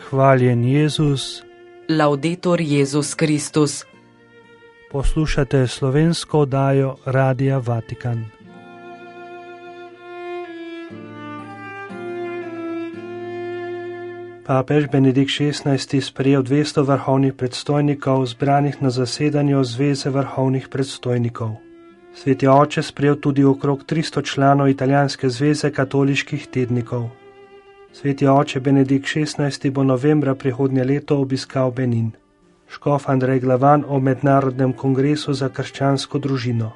Hvaljen Jezus. Laudetur Jezus Kristus. Poslušate slovensko oddajo Radia Vatikan. Papež Benedikt XVI sprejel 200 vrhovnih predstojnikov, zbranih na zasedanju Zveze vrhovnih predstojnikov. Sveti oče sprejel tudi okrog 300 članov italijanske zveze katoliških tednikov. Sveti oče Benedikt XVI bo novembra prihodnje leto obiskal Benin. Škof Andrej Glavan o Mednarodnem kongresu za krščansko družino.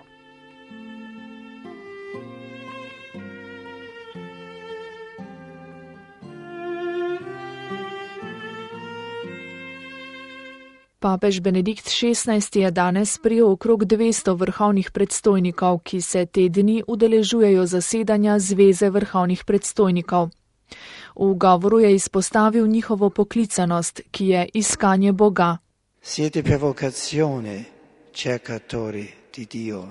Papež Benedikt XVI je danes sprejel okrog 200 vrhovnih predstojnikov, ki se te dni udeležujejo zasedanja Zveze vrhovnih predstojnikov. V govoru je izpostavil njihovo poklicanost, ki je iskanje Boga. Siete per vocazione cercatori di Dio.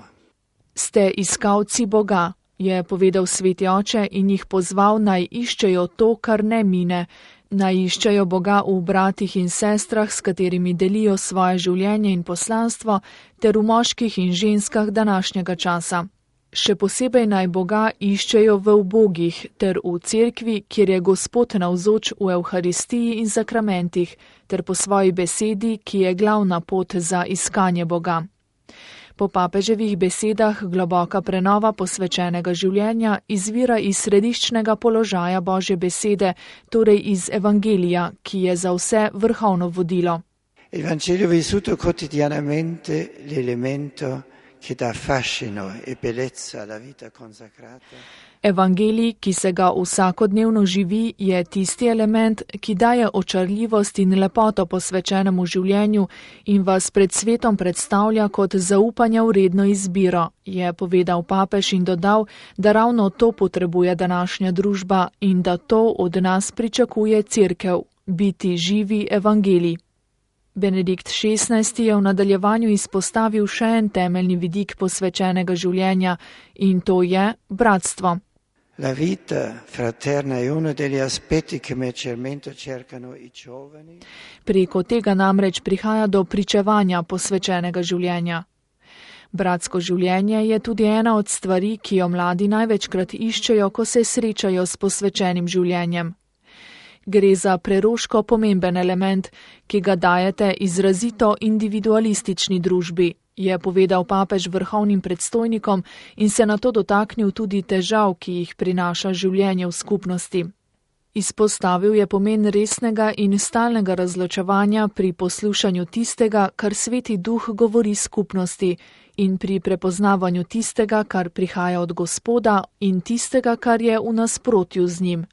Ste iskalci Boga, je povedal sveti oče in jih pozval, naj iščejo to, kar ne mine, naj iščejo Boga v bratih in sestrah, s katerimi delijo svoje življenje in poslanstvo, ter v moških in ženskah današnjega časa. Še posebej naj Boga iščejo v ubogih ter v cerkvi, kjer je Gospod navzoč v Evharistiji in zakramentih, ter po svoji besedi, ki je glavna pot za iskanje Boga. Po papeževih besedah globoka prenova posvečenega življenja izvira iz središčnega položaja Božje besede, torej iz Evangelija, ki je za vse vrhovno vodilo. Evangelio vissuto quotidianamente l'elemento che dà fascino e bellezza alla vita consacrata. Evangelij, ki se ga vsakodnevno živi, je tisti element, ki daje očarljivost in lepoto posvečenemu življenju in vas pred svetom predstavlja kot zaupanja vredno izbiro, je povedal papež in dodal, da ravno to potrebuje današnja družba in da to od nas pričakuje cerkev, biti živi evangelij. Benedikt XVI je v nadaljevanju izpostavil še en temeljni vidik posvečenega življenja in to je bratstvo. La vita fraterna è uno degli aspetti che maggiormente cercano i giovani. Preko tega namreč prihaja do pričevanja posvečenega življenja. Bratsko življenje je tudi ena od stvari, ki jo mladi največkrat iščejo, ko se srečajo s posvečenim življenjem. Gre za preroško pomemben element, ki ga dajete izrazito individualistični družbi, je povedal papež vrhovnim predstojnikom in se nato dotaknil tudi težav, ki jih prinaša življenje v skupnosti. Izpostavil je pomen resnega in stalnega razločevanja pri poslušanju tistega, kar Sveti Duh govori skupnosti, in pri prepoznavanju tistega, kar prihaja od Gospoda, in tistega, kar je v nasprotju z njim.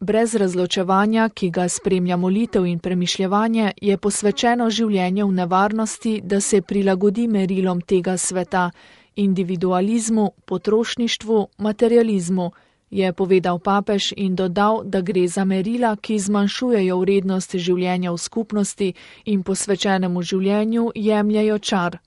Brez razločevanja, ki ga spremlja molitev in premišljevanje, je posvečeno življenje v nevarnosti, da se prilagodi merilom tega sveta, individualizmu, potrošništvu, materializmu, je povedal papež in dodal, da gre za merila, ki zmanjšujejo vrednost življenja v skupnosti in posvečenemu življenju jemljejo čar.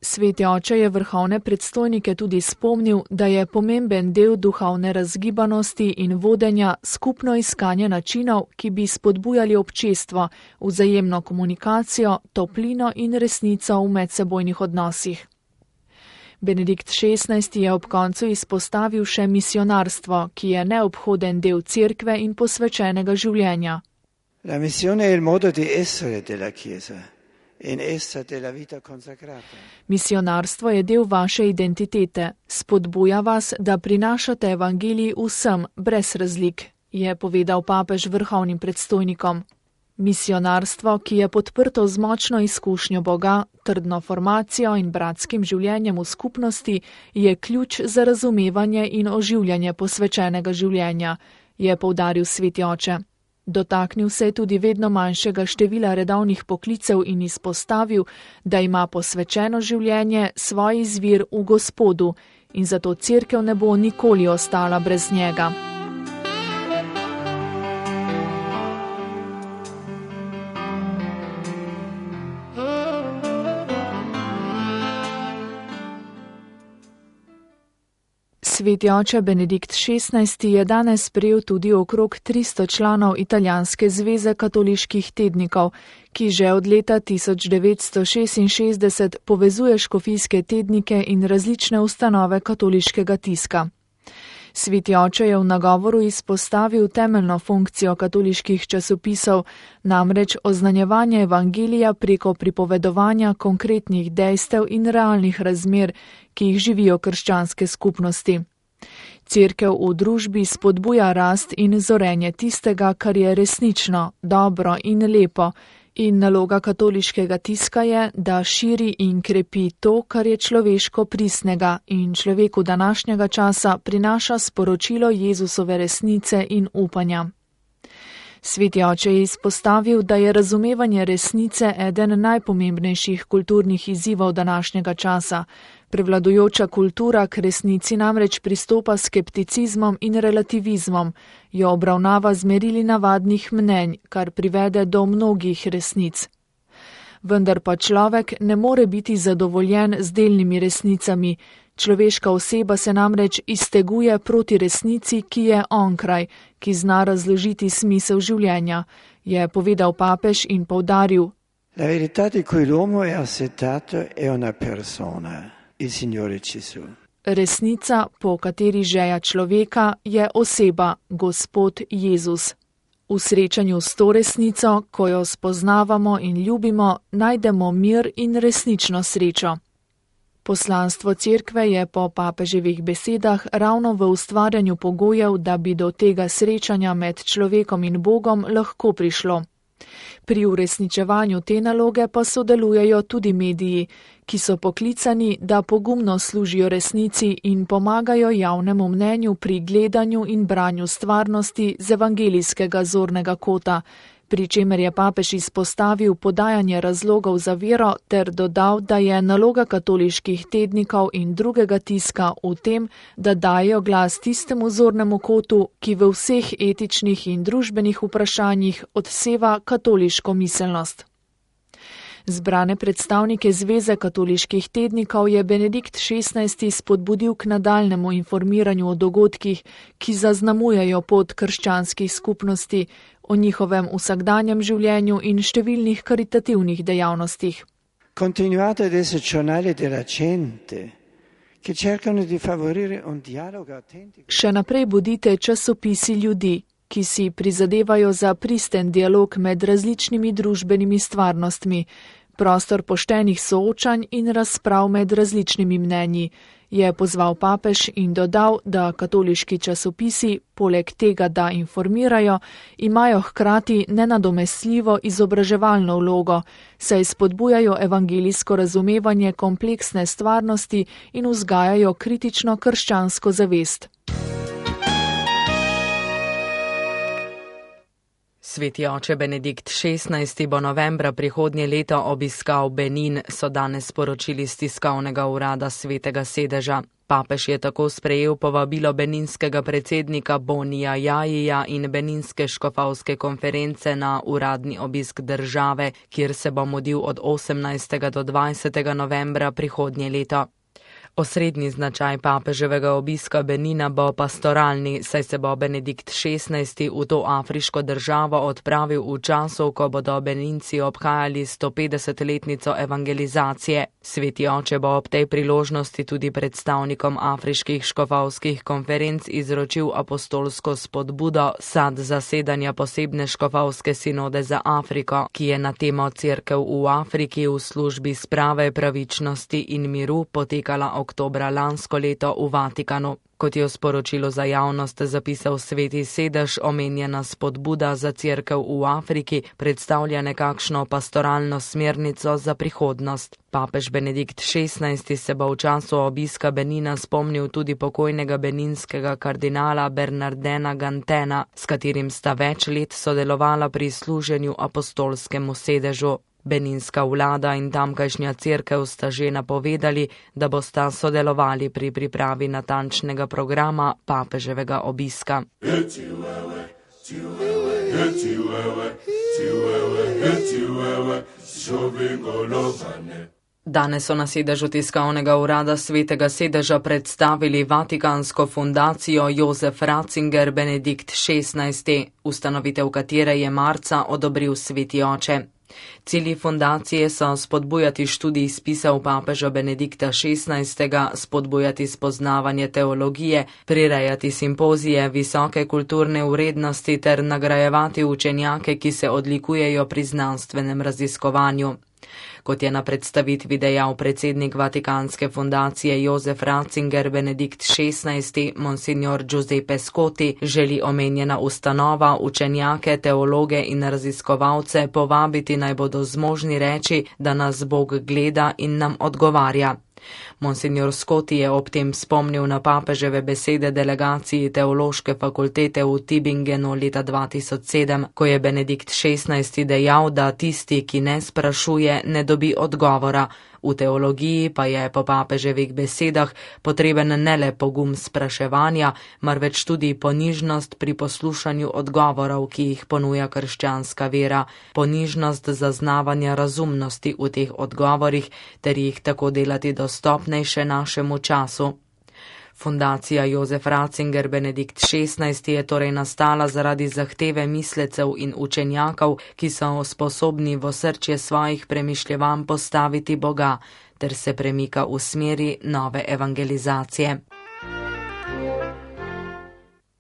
Sveti oče je vrhovne predstojnike tudi spomnil, da je pomemben del duhovne razgibanosti in vodenja skupno iskanje načinov, ki bi spodbujali občestvo, vzajemno komunikacijo, toplino in resnico v medsebojnih odnosih. Benedikt XVI je ob koncu izpostavil še misionarstvo, ki je neobhoden del cerkve in posvečenega življenja. La missione è il modo di essere della Chiesa. In essa della vita consacrata. Misionarstvo je del vaše identitete, spodbuja vas, da prinašate evangelij vsem, brez razlik, je povedal papež vrhovnim predstojnikom. Misionarstvo, ki je podprto z močno izkušnjo Boga, trdno formacijo in bratskim življenjem v skupnosti, je ključ za razumevanje in oživljanje posvečenega življenja, je poudaril sveti oče. Dotaknil se je tudi vedno manjšega števila redovnih poklicev in izpostavil, da ima posvečeno življenje svoj izvir v Gospodu in zato cerkev ne bo nikoli ostala brez njega. Sveti oče Benedikt XVI je danes sprejel tudi okrog 300 članov Italijanske zveze katoliških tednikov, ki že od leta 1966 povezuje škofijske tednike in različne ustanove katoliškega tiska. Sveti oče je v nagovoru izpostavil temeljno funkcijo katoliških časopisov, namreč oznanjevanje evangelija preko pripovedovanja konkretnih dejstev in realnih razmer, ki jih živijo krščanske skupnosti. Cerkev v družbi spodbuja rast in zorenje tistega, kar je resnično, dobro in lepo, in naloga katoliškega tiska je, da širi in krepi to, kar je človeško pristnega in človeku današnjega časa prinaša sporočilo Jezusove resnice in upanja. Sveti oče je izpostavil, da je razumevanje resnice eden najpomembnejših kulturnih izzivov današnjega časa. Prevladujoča kultura k resnici namreč pristopa s skepticizmom in relativizmom, jo obravnava z merili navadnih mnenj, kar privede do mnogih resnic. Vendar pa človek ne more biti zadovoljen z delnimi resnicami. Človeška oseba se namreč izteguje proti resnici, ki je onkraj, ki zna razložiti smisel življenja, je povedal papež in poudaril: La verità di cui l'uomo è assetato è una persona, il Signore Gesù. Resnica, po kateri žeja človeka, je oseba, Gospod Jezus. V srečanju s to resnico, ko jo spoznavamo in ljubimo, najdemo mir in resnično srečo. Poslanstvo cerkve je po papeževih besedah ravno v ustvarjanju pogojev, da bi do tega srečanja med človekom in Bogom lahko prišlo. Pri uresničevanju te naloge pa sodelujejo tudi mediji, ki so poklicani, da pogumno služijo resnici in pomagajo javnemu mnenju pri gledanju in branju stvarnosti z evangelijskega zornega kota, pri čemer je papež izpostavil podajanje razlogov za vero ter dodal, da je naloga katoliških tednikov in drugega tiska v tem, da dajo glas tistemu zornemu kotu, ki v vseh etičnih in družbenih vprašanjih odseva katoliško miselnost. Zbrane predstavnike Zveze katoliških tednikov je Benedikt XVI spodbudil k nadaljnemu informiranju o dogodkih, ki zaznamujejo pot krščanskih skupnosti, o njihovem vsakdanjem življenju in številnih karitativnih dejavnostih. Continuate ad essere giornali della gente, che cercano di favorire un dialogo autentico. Še naprej bodite časopisi ljudi, ki si prizadevajo za pristen dialog med različnimi družbenimi stvarnostmi, prostor poštenih soočanj in razprav med različnimi mnenji, je pozval papež in dodal, da katoliški časopisi, poleg tega, da informirajo, imajo hkrati nenadomestljivo izobraževalno vlogo, saj spodbujajo evangelijsko razumevanje kompleksne stvarnosti in vzgajajo kritično krščansko zavest. Sveti oče Benedikt XVI bo novembra prihodnje leto obiskal Benin, so danes sporočili iz tiskovnega urada Svetega sedeža. Papež je tako sprejel povabilo beninskega predsednika Bonija Jajija in beninske škofovske konference na uradni obisk države, kjer se bo mudil od 18. do 20. novembra prihodnje leto. Osrednji značaj papeževega obiska Benina bo pastoralni, saj se bo Benedikt XVI v to afriško državo odpravil v času, ko bodo Beninci obhajali 150-letnico evangelizacije. Sveti oče bo ob tej priložnosti tudi predstavnikom afriških škofovskih konferenc izročil apostolsko spodbudo sad zasedanja posebne škofovske sinode za Afriko, ki je na temo Cerkev v Afriki v službi sprave, pravičnosti in miru potekala oktobra lansko leto v Vatikanu. Kot je v sporočilu za javnost zapisal Sveti sedež, omenjena spodbuda za Cerkev v Afriki predstavlja nekakšno pastoralno smernico za prihodnost. Papež Benedikt XVI se bo v času obiska Benina spomnil tudi pokojnega beninskega kardinala Bernardena Gantena, s katerim sta več let sodelovala pri služenju apostolskemu sedežu. Beninska vlada in tamkajšnja cerkev sta že napovedali, da bosta sodelovali pri pripravi natančnega programa papeževega obiska. Danes so na sedežu tiskovnega urada Svetega sedeža predstavili Vatikansko fundacijo Jozef Ratzinger Benedikt XVI, ustanovitev katere je marca odobril Sveti oče. Cilji fundacije so spodbujati študij spisov papeža Benedikta XVI, spodbujati spoznavanje teologije, prirejati simpozije visoke kulturne vrednosti ter nagrajevati učenjake, ki se odlikujejo pri znanstvenem raziskovanju. Kot je na predstavitvi dejal predsednik Vatikanske fundacije Jozef Ratzinger Benedikt XVI, monsignor Giuseppe Scotti, želi omenjena ustanova učenjake, teologe in raziskovalce povabiti, naj bodo zmožni reči, da nas Bog gleda in nam odgovarja. Monsignor Scotti je ob tem spomnil na papeževe besede delegaciji teološke fakultete v Tübingenu leta 2007, ko je Benedikt XVI dejal, da tisti, ki ne sprašuje, ne dobi odgovora. V teologiji pa je po papeževih besedah potreben ne le pogum spraševanja, marveč tudi ponižnost pri poslušanju odgovorov, ki jih ponuja krščanska vera, ponižnost zaznavanja razumnosti v teh odgovorih ter jih tako delati dostopnejše našemu času. Fundacija Jozef Ratzinger Benedikt XVI je torej nastala zaradi zahteve mislecev in učenjakov, ki so sposobni v osrčje svojih premišljevanj postaviti Boga, ter se premika v smeri nove evangelizacije.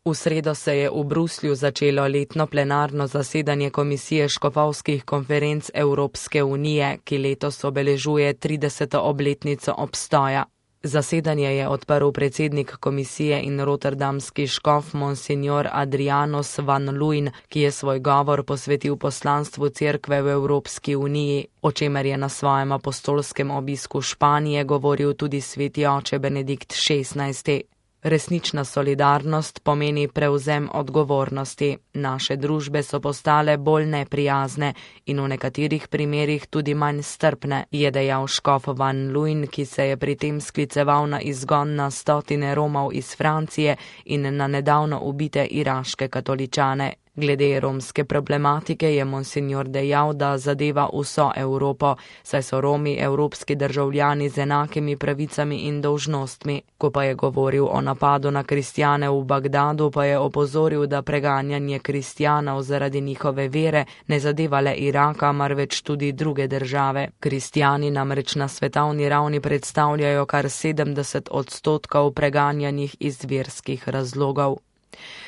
V sredo se je v Bruslju začelo letno plenarno zasedanje Komisije škofovskih konferenc Evropske unije, ki letos obeležuje 30. obletnico obstoja. Zasedanje je odprl predsednik komisije in rotterdamski škof monsignor Adrianus van Luin, ki je svoj govor posvetil poslanstvu cerkve v Evropski uniji, o čemer je na svojem apostolskem obisku Španije govoril tudi sveti oče Benedikt XVI. Resnična solidarnost pomeni prevzem odgovornosti. Naše družbe so postale bolj neprijazne in v nekaterih primerih tudi manj strpne, je dejal škof van Luin, ki se je pri tem skliceval na izgon na 100 Romov iz Francije in na nedavno ubite iraške katoličane. Glede romske problematike je monsignor dejal, da zadeva vso Evropo, saj so Romi evropski državljani z enakimi pravicami in dolžnostmi. Ko pa je govoril o napadu na kristjane v Bagdadu, pa je opozoril, da preganjanje kristjanov zaradi njihove vere ne zadeva le Iraka, marveč tudi druge države. Kristjani namreč na svetovni ravni predstavljajo kar 70% preganjanih iz verskih razlogov.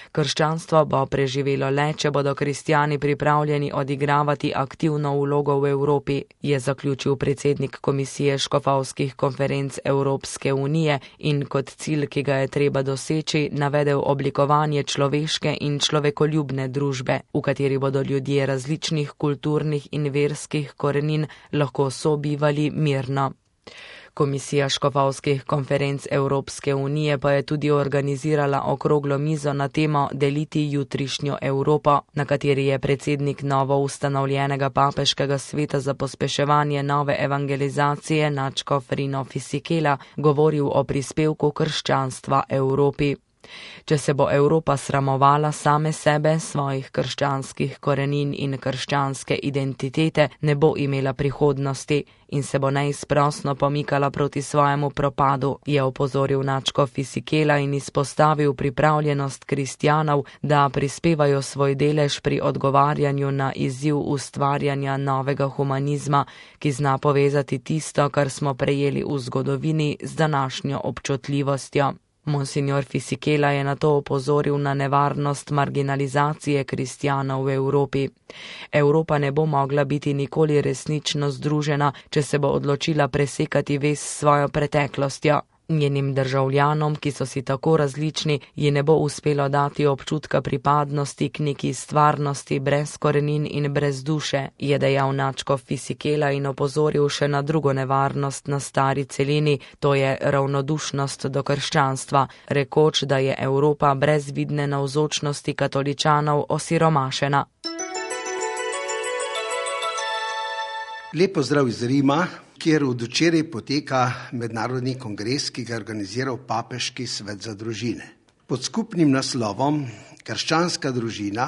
Krščanstvo bo preživelo le, če bodo kristjani pripravljeni odigravati aktivno vlogo v Evropi, je zaključil predsednik Komisije škofovskih konferenc Evropske unije in kot cilj, ki ga je treba doseči, navedel oblikovanje človeške in človekoljubne družbe, v kateri bodo ljudje različnih kulturnih in verskih korenin lahko sobivali mirno. Komisija škofovskih konferenc Evropske unije pa je tudi organizirala okroglo mizo na temo Deliti jutrišnjo Evropo, na kateri je predsednik novo ustanovljenega papeškega sveta za pospeševanje nove evangelizacije nadškof Rino Fisichella govoril o prispevku krščanstva Evropi. Če se bo Evropa sramovala same sebe, svojih krščanskih korenin in krščanske identitete, ne bo imela prihodnosti in se bo neizprosno pomikala proti svojemu propadu, je opozoril nadškof Fisichella in izpostavil pripravljenost kristjanov, da prispevajo svoj delež pri odgovarjanju na izziv ustvarjanja novega humanizma, ki zna povezati tisto, kar smo prejeli v zgodovini, z današnjo občutljivostjo. Monsignor Fisichella je nato opozoril na nevarnost marginalizacije kristjanov v Evropi. Evropa ne bo mogla biti nikoli resnično združena, če se bo odločila presekati vez s svojo preteklostjo. Njenim državljanom, ki so si tako različni, ji ne bo uspelo dati občutka pripadnosti k neki stvarnosti brez korenin in brez duše, je dejal nadškof Fisichella in opozoril še na drugo nevarnost na stari celini, to je ravnodušnost do krščanstva, rekoč, da je Evropa brez vidne navzočnosti katoličanov osiromašena. Lep pozdrav iz Rima, kjer od včeraj poteka mednarodni kongres, ki ga je organiziral Papeški svet za družine. Pod skupnim naslovom Krščanska družina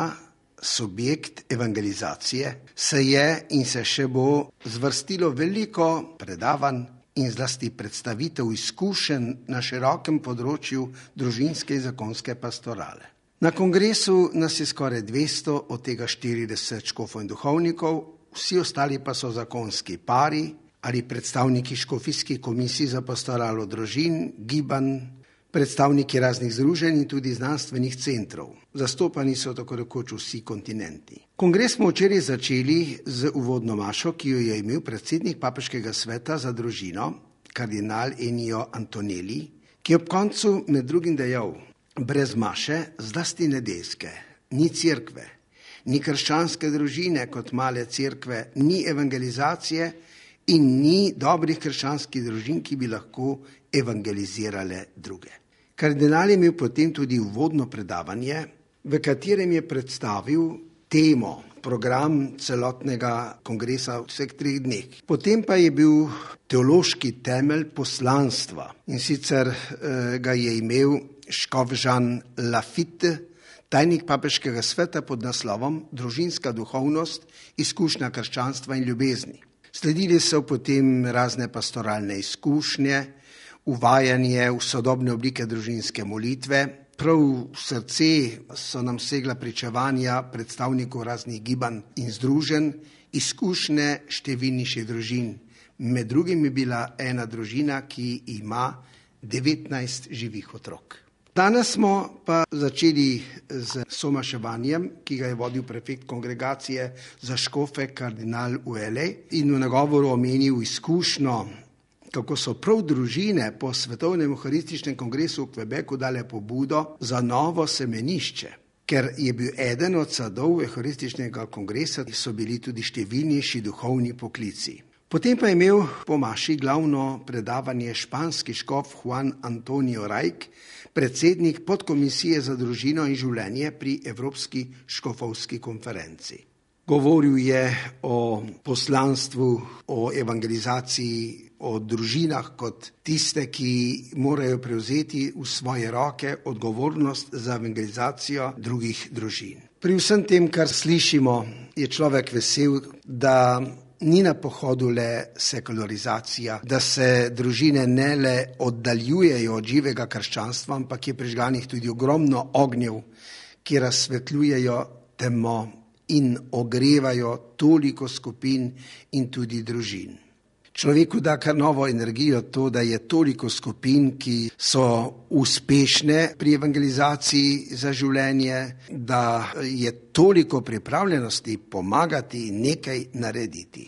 subjekt evangelizacije, se je in se še bo zvrstilo veliko predavanj in zlasti predstavitev izkušenj na širokem področju družinske in zakonske pastorale. Na kongresu nas je skoraj 200, od tega 40 škofov in duhovnikov, vsi ostali pa so zakonski pari ali predstavniki škofijskih komisij za pastoralo družin, gibanj, predstavniki raznih združenj in tudi znanstvenih centrov. Zastopani so tako rekoč vsi kontinenti. Kongres smo včeraj začeli z uvodno mašo, ki jo je imel predsednik Papeškega sveta za družino, kardinal Ennio Antonelli, ki je ob koncu med drugim dejal: brez maše, zlasti nedeljske, ni cerkve, ni krščanske družine kot male cerkve, ni evangelizacije in ni dobrih krščanskih družin, ki bi lahko evangelizirale druge. Kardinal je imel potem tudi uvodno predavanje, v katerem je predstavil temo, program celotnega kongresa v vseh 3 dneh. Potem pa je bil teološki temelj poslanstva in sicer ga je imel škof Jean Lafitte, tajnik Papeškega sveta pod naslovom Družinska duhovnost, izkušnja krščanstva in ljubezni. Sledili so potem razne pastoralne izkušnje, uvajanje v sodobne oblike družinske molitve. Prav v srce so nam segla pričevanja predstavnikov raznih gibanj in združenj, izkušnje številnejših družin. Med drugim je bila ena družina, ki ima 19 živih otrok. Danes smo pa začeli z somaševanjem, ki ga je vodil prefekt kongregacije za škofe kardinal Uele in v nagovoru omenil izkušnjo, kako so prav družine po svetovnem euharističnem kongresu v Quebecu dale pobudo za novo semenišče. Ker je bil eden od sadov euharističnega kongresa, so bili tudi številnejši duhovni poklici. Potem pa je imel po maši glavno predavanje španski škof Juan Antonio Rajk, predsednik podkomisije za družino in življenje pri Evropski škofovski konferenci. Govoril je o poslanstvu, o evangelizaciji, o družinah kot tiste, ki morajo prevzeti v svoje roke odgovornost za evangelizacijo drugih družin. Pri vsem tem, kar slišimo, je človek vesel, da ni na pohodu le sekularizacija, da se družine ne le oddaljujejo od živega krščanstva, ampak je prižganih tudi ogromno ognjev, ki razsvetljujejo temo in ogrevajo toliko skupin in tudi družin. Človeku da kar novo energijo to, da je toliko skupin, ki so uspešne pri evangelizaciji za življenje, da je toliko pripravljenosti pomagati in nekaj narediti.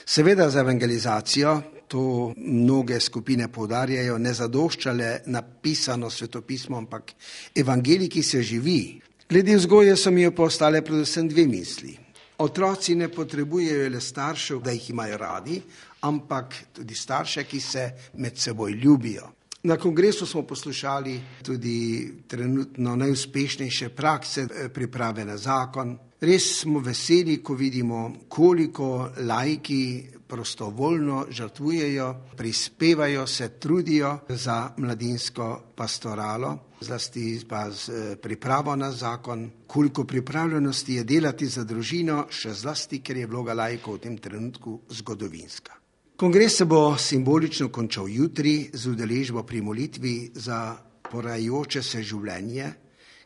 Seveda za evangelizacijo, to mnoge skupine poudarjajo, ne zadoščale napisano svetopismo, ampak evangelij, ki se živi. Glede vzgoje so mi postale predvsem 2 misli. Otroci ne potrebujejo le staršev, da jih imajo radi, ampak tudi starše, ki se med seboj ljubijo. Na kongresu smo poslušali tudi trenutno najuspešnejše prakse priprave na zakon. Res smo veseli, ko vidimo, koliko laiki prostovoljno žrtvujejo, prispevajo, se trudijo za mladinsko pastoralo, zlasti pa z pripravo na zakon, koliko pripravljenosti je delati za družino, še zlasti, ker je vloga laikov v tem trenutku zgodovinska. Kongres se bo simbolično končal jutri z udeležbo pri molitvi za porajajoče se življenje,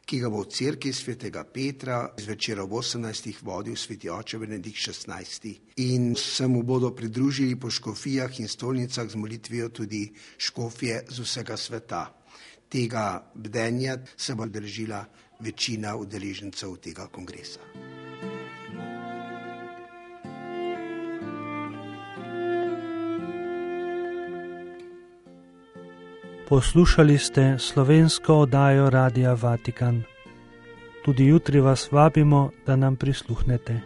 ki ga bo v cerkvi svetega Petra zvečer ob 18. vodil sveti oče Benedikt XVI. In se mu bodo pridružili po škofijah in stolnicah z molitvijo tudi škofje z vsega sveta. Tega bdenja se bo držila večina udeležencev tega kongresa. Poslušali ste slovensko oddajo Radia Vatikan. Tudi jutri vas vabimo, da nam prisluhnete.